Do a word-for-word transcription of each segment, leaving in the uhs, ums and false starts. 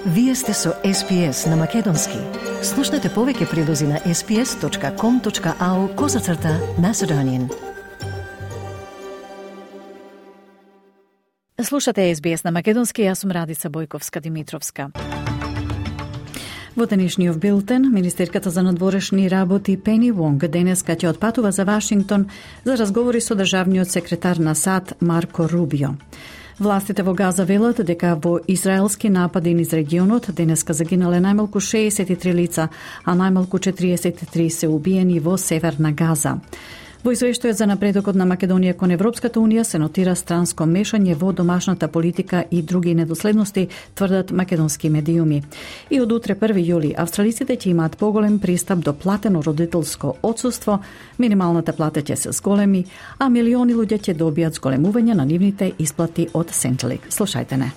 Вие сте со Ес Би Ес на Македонски. Слушнете повеќе прилози на ес би ес точка ком точка ау козацрта Macedonian. Слушате Ес Би Ес на Македонски, јас сум Радица Бојковска-Димитровска. Во денешниот билтен, министерката за надворешни работи Пени Вонг денеска ќе отпатува за Вашингтон за разговори со државниот секретар на САД Марко Рубио. Властите во Газа велат дека во израелски напади низ регионот денеска загинале најмалку шеесет и три лица, а најмалку четириесет и три се убиени во северна Газа. Во извештајот за напредокот на Македонија кон Европската Унија се нотира странско мешање во домашната политика и други недоследности, тврдат македонски медиуми. И од утре први јули австралиците ќе имаат поголем пристап до платено родителско отсуство, минималната плата ќе се зголеми, а милиони луѓе ќе добијат зголемување на нивните исплати од Centrelink. Слушајте не.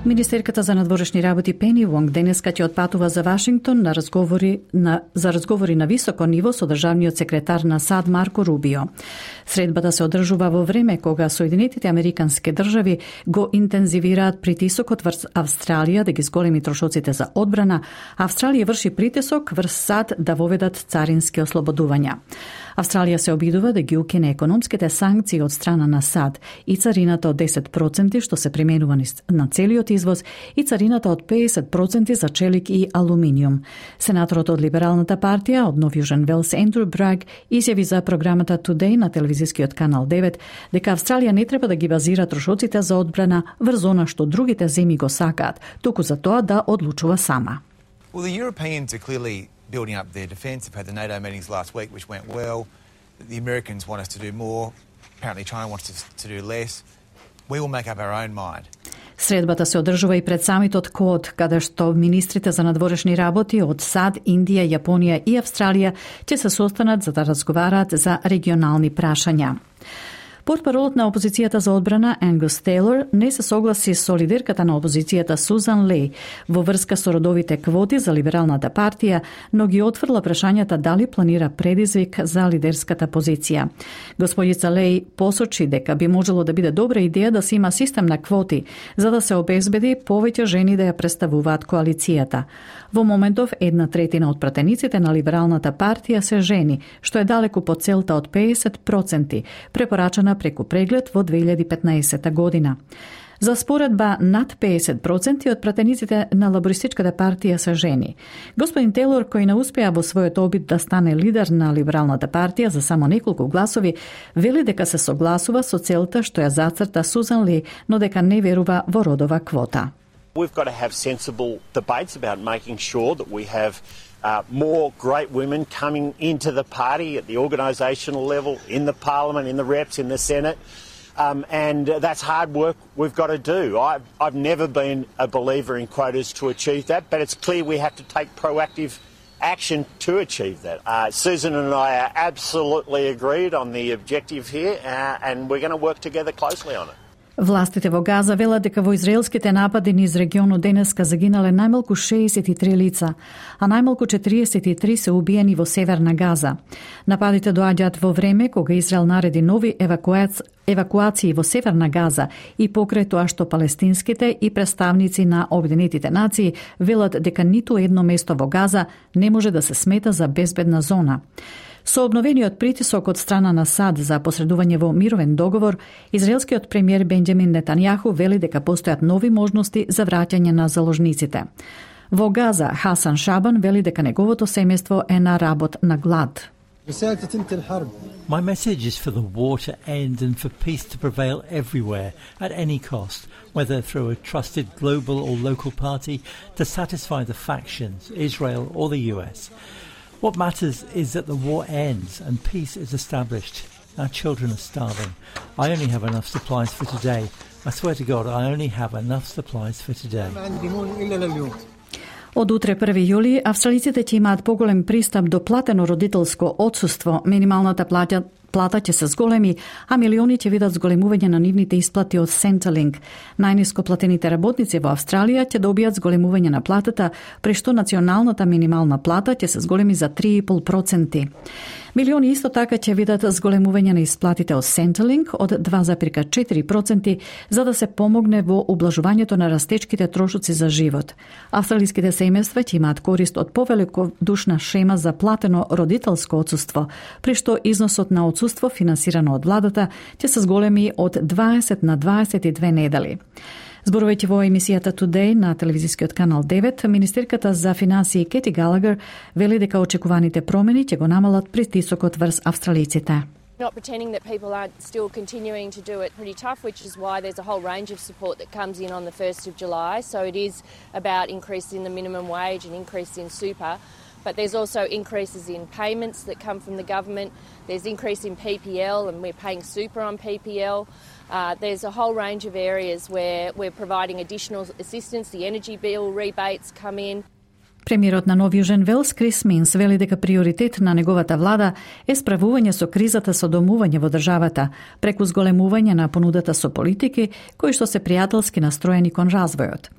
Министерката за надворешни работи Пени Вонг денеска ќе отпатува за Вашингтон на разговори на за разговори на високо ниво со државниот секретар на САД Марко Рубио. Средбата се одржува во време кога Соединетите Американски држави го интензивираат притисокот врз Австралија да ги зголеми трошоците за одбрана. Австралија врши притисок врз САД да воведат царински ослободувања. Австралија се обидува да ги укине економските санкции од страна на САД и царината од десет проценти што се применува на целиот извоз и царината од педесет проценти за челик и алуминиум. Сенаторот од Либералната партија од Нов Јужен Велс Ендрю Браг изјави за програмата Today на телевизискиот канал девет дека Австралија не треба да ги базира трошоците за одбрана врз она што другите земји го сакаат, туку за тоа да одлучува сама. Well, the Europeans are clearly building up their defence. They've had the NATO meetings last week, which went well. The Americans want us to do more. Apparently China wants us to do less. We will make up our own mind. Средбата се одржува и пред самитот Код, каде што министрите за надворешни работи од САД, Индија, Јапонија и Австралија ќе се состанат за да разговараат за регионални прашања. Портпаролот на опозицијата за одбрана Ангус Тейлор не се согласи со лидерката на опозицијата Сузан Леј во врска со родовите квоти за Либералната партија, но ги отфрла прашањата дали планира предизвик за лидерската позиција. Господица Леј посочи дека би можело да биде добра идеја да се има систем на квоти, за да се обезбеди повеќе жени да ја представуваат коалицијата. Во моментов една третина од пратениците на Либералната партија се жени, што е далеку под целта од педесет проценти, препорачана преку преглед во две илјади и петнаесета година. За споредба, над педесет проценти од пратениците на Лабористичката партија се жени. Господин Тейлор, кој не успеа во својот обид да стане лидер на Либералната партија за само неколку гласови, вели дека се согласува со целта што ја зацрта Сузан Ли, но дека не верува во родова квота. We've got to have sensible debates about making sure that we have uh, more great women coming into the party at the organisational level, in the parliament, in the reps, in the Senate. Um, and uh, that's hard work we've got to do. I've, I've never been a believer in quotas to achieve that, but it's clear we have to take proactive action to achieve that. Uh, Susan and I are absolutely agreed on the objective here, uh, and we're going to work together closely on it. Властите во Газа велат дека во израелските напади низ регионот денеска загинале најмалку шеесет и три лица, а најмалку четириесет и три се убиени во северна Газа. Нападите доаѓаат во време кога Израел нареди нови евакуаци... евакуации во северна Газа и покрај тоа што палестинските и представници на Обединетите нации велат дека ниту едно место во Газа не може да се смета за безбедна зона. Со обновениот притисок од страна на САД за посредување во мировен договор, израелскиот премиер Бенџамин Нетањаху вели дека постојат нови можности за враќање на заложниците. Во Газа, Хасан Шабан вели дека неговото семејство е на работ на глад. My message is for the war to end and for peace to prevail everywhere, at any cost, whether through a trusted global or local party to satisfy the factions, Israel or the U S. What matters is that the war ends and peace is established. Our children are starving. I only have enough supplies for today. I swear to God, I only have enough supplies for today. Од утре први јули, австралиците ќе имаат поголем пристап до платено родителско отсуство. Минималната плата, плата ќе се зголеми, а милиони ќе видат зголемување на нивните исплати од Centrelink. Најниско платените работници во Австралија ќе добијат зголемување на платата, при што националната минимална плата ќе се зголеми за три и пол проценти. Милиони исто така ќе видат зголемување на исплатите од Centrelink од два зарез четири проценти за да се помогне во ублажувањето на растечките трошоци за живот. Австралиските семејства ќе имаат корист од повеликодушна шема за платено родителско отсуство, при што износот на отсуство финансирано од владата ќе се зголеми од дваесет на дваесет и две недели. Зборувајќи во емисијата Today на телевизискиот канал девет, министерката за финансии Кети Галагер вели дека очекуваните промени ќе го намалат притисокот врз австралиците. Not pretending that people aren't still continuing to do it pretty tough, which is why there's a whole range of support that comes in on the first of July. So it is about increasing the minimum wage and increase in super. But there's also increases in payments that come from the government. There's increase in P P L, and we're paying super on P P L. Uh, there's a whole range of areas where we're providing additional assistance. The energy bill rebates come in. Премиерот на Нов Јужен Велс Крис Минс вели дека приоритет на неговата влада е справување со кризата со домување во државата, преку зголемување на понудата со политики кои што се пријателски настроени кон развојот.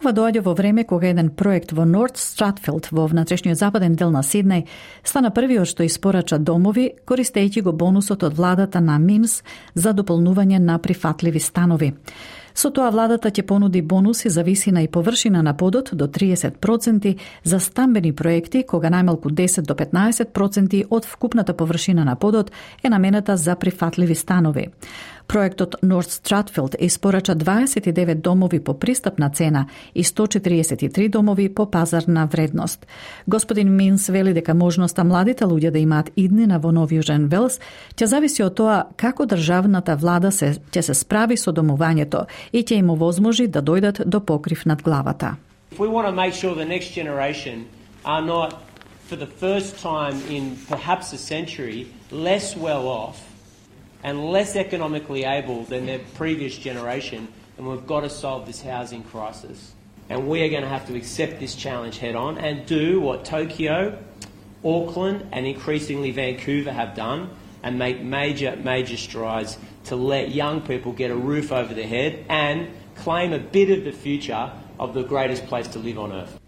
Ова доаѓа во време кога еден проект во Норт Стратфилд во внатрешниот западен дел на Сиднеј стана првиот што испорача домови, користејќи го бонусот од владата на Минс за дополнување на прифатливи станови. Со тоа владата ќе понуди бонуси за висина и површина на подот до триесет проценти за стамбени проекти, кога најмалку десет до петнаесет проценти од вкупната површина на подот е намената за прифатливи станови. Проектот Норт Стратфилд испорача дваесет и девет домови по пристапна цена и сто четириесет и три домови по пазарна вредност. Господин Минс вели дека можноста младите луѓе да имаат иднина во Нов Јужен Велс ќе зависи од тоа како државната влада се ќе се справи со домувањето и ќе им овозможи да дојдат до покрив над главата. If we want to make sure the next generation are not, for the first time in perhaps a century, less well off and less economically able than their previous generation, and we've got to solve this housing crisis. And we are going to have to accept this challenge head on and do what Tokyo, Auckland and increasingly Vancouver have done and make major, major strides to let young people get a roof over their head and claim a bit of the future of the greatest place to live on earth.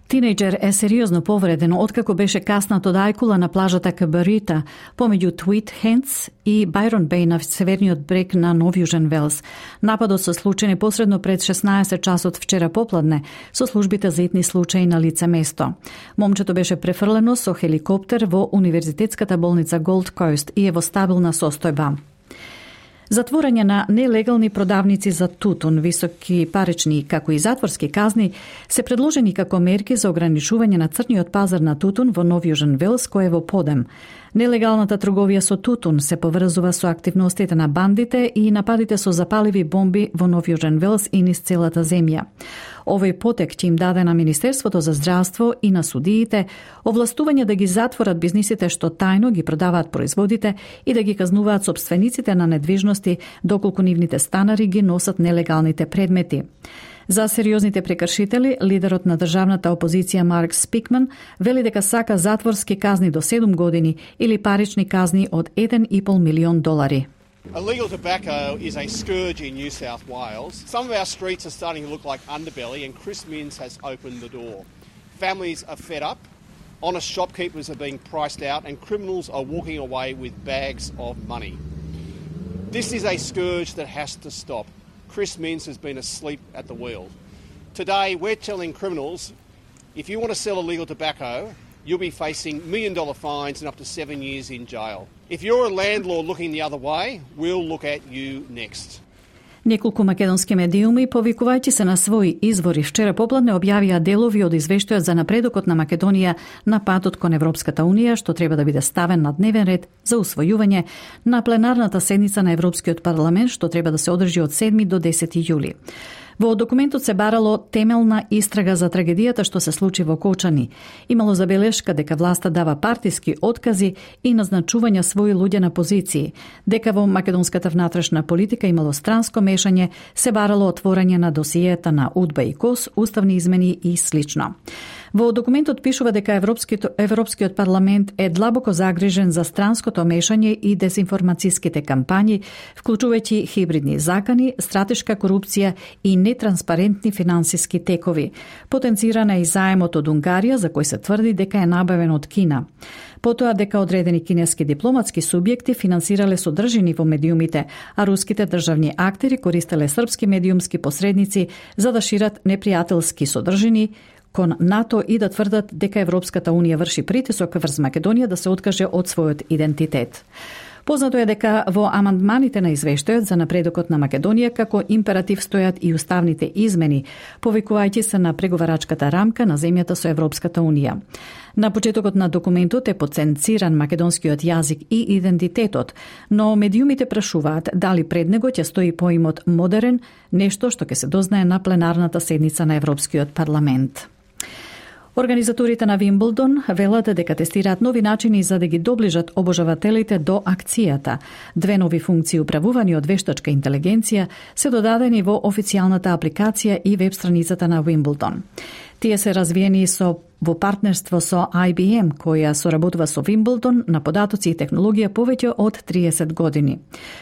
Тинејџер е сериозно повреден откако беше каснат од ајкула на плажата Кабарита помеѓу Твит Хендс и Байрон Беј на северниот брег на Нов Јужен Велс. Нападот се случи непосредно пред шеснаесет часот вчера попладне со службите за итни случаи на лице место. Момчето беше префрлено со хеликоптер во Универзитетската болница Голд Коуст и е во стабилна состојба. Затворање на нелегални продавници за тутун, високи парични како и затворски казни се предложени како мерки за ограничување на црниот пазар на тутун во Нов Јужен Велс кој е во подем. Нелегалната трговија со тутун се поврзува со активностите на бандите и нападите со запаливи бомби во Нов Јужен Велс и низ целата земја. Овој потек ќе им даде на Министерството за здравство и на судиите овластување да ги затворат бизнисите што тајно ги продаваат производите и да ги казнуваат сопствениците на недвижности доколку нивните станари ги носат нелегалните предмети. За сериозните прекршители, лидерот на државната опозиција Марк Спикман вели дека сака затворски казни до седум години или парични казни од еден и пол милион долари. Illegal tobacco is a scourge in New South Wales. Some of our streets are starting to look like underbelly and Chris Minns has opened the door. Families are fed up, honest shopkeepers are being priced out and criminals are walking away with bags of money. This is a scourge that has to stop. Chris Minns has been asleep at the wheel. Today we're telling criminals if you want to sell illegal tobacco, you'll be facing million dollar fines and up to seven years in jail. If you're a landlord looking the other way, we'll look at you next. Неколку македонски медиуми, повикувајќи се на своји извори, вчера попладне објавија делови од извештајот за напредокот на Македонија на патот кон Европската Унија, што треба да биде ставен на дневен ред за усвојување на пленарната седница на Европскиот парламент, што треба да се одржи од седми до десети јули. Во документот се барало темелна истрага за трагедијата што се случи во Кочани. Имало забелешка дека власта дава партиски откази и назначување своји луѓе на позиции, дека во македонската внатрешна политика имало странско мешање, се барало отворање на досиета на УДБА и КОС, уставни измени и слично. Во документот пишува дека Европскиот, Европскиот парламент е длабоко загрижен за странското мешање и дезинформацијските кампањи, вклучувајќи хибридни закани, стратешка корупција и нетранспарентни финансиски текови. Потенцирана е и заемот од Унгарија, за кој се тврди дека е набавен од Кина. Потоа дека одредени кинески дипломатски субјекти финансирале содржини во медиумите, а руските државни актери користеле српски медиумски посредници за да шират непријателски содржини кон НАТО и да тврдат дека Европската Унија врши притисок врз Македонија да се откаже од својот идентитет. Познато е дека во амандманите на извештајот за напредокот на Македонија како императив стојат и уставните измени, повикувајќи се на преговарачката рамка на земјата со Европската Унија. На почетокот на документот е потенциран македонскиот јазик и идентитетот, но медиумите прашуваат дали пред него ќе стои поимот модерен, нешто што ќе се дознае на пленарната седница на Европскиот парламент. Организаторите на Вимблдон велат дека тестираат нови начини за да ги доближат обожавателите до акцијата. Две нови функции управувани од вештачка интелигенција се додадени во официјалната апликација и веб страницата на Вимблдон. Тие се развиени со во партнерство со Ай Би Ем, која соработува со Вимблдон на податоци и технологија повеќе од триесет години.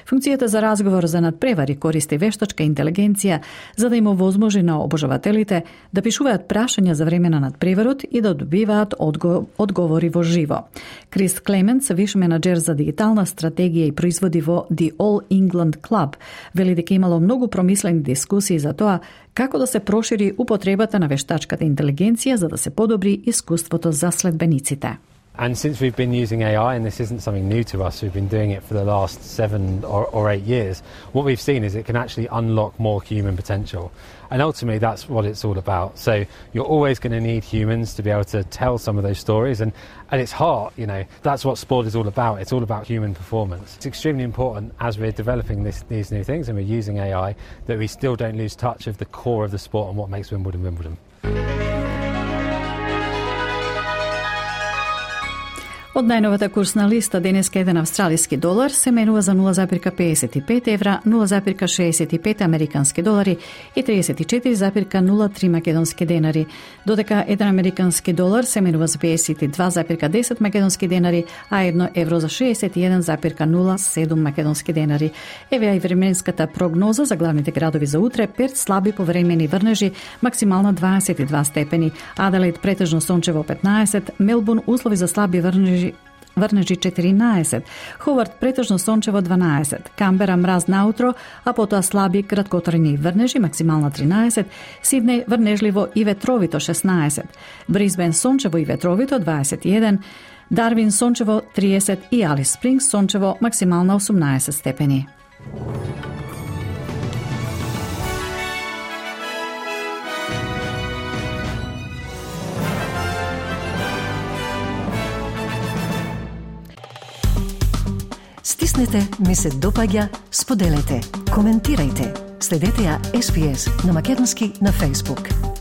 Функцијата за разговор за надпревари користи вештачка интелигенција за да им овозможи на обожавателите да пишуваат прашања за време на надпреварот и да добиваат одго, одговори во живо. Крис Клементс, виш менаџер за дигитална стратегија и производи во The All England Club, вели дека имало многу промислени дискусии за тоа како да се прошири употребата на вештачката интелигенција за да се подобри искуството за следбениците. And since we've been using A I, and this isn't something new to us, we've been doing it for the last seven or, or eight years, what we've seen is it can actually unlock more human potential. And ultimately, that's what it's all about. So you're always going to need humans to be able to tell some of those stories. And at its heart, you know, that's what sport is all about. It's all about human performance. It's extremely important as we're developing this, these new things and we're using A I that we still don't lose touch of the core of the sport and what makes Wimbledon Wimbledon. Од најновата курсна листа денеска еден австралиски долар се менува за нула запирка педесет и пет евра, нула запирка шеесет и пет американски долари и триесет и четири запирка нула три македонски денари, додека еден американски долар се менува за педесет и два запирка десет македонски денари, а едно евро за шеесет и еден запирка нула седум македонски денари. Еве и временската прогноза за главните градови за утре: Перт слаби повремени врнежи, максимална дваесет и два степени, Аделаид претежно сончево петнаесет, Мелбурн услови за слаби врнежи Врнежи четиринаесет, Ховард претежно сончево дванаесет, Камбера мраз наутро, а потоа слаби краткотрajни врнежи, максимална тринаесет, Сиднеј врнежливо и ветровито шеснаесет, Брисбен сончево и ветровито дваесет и еден, Дарвин сончево триесет и Алис Спрингс сончево максимална осумнаесет степени. Стиснете, ми се допаѓа, споделете, коментирајте. Следете ја Ес Би Ес на македонски на Facebook.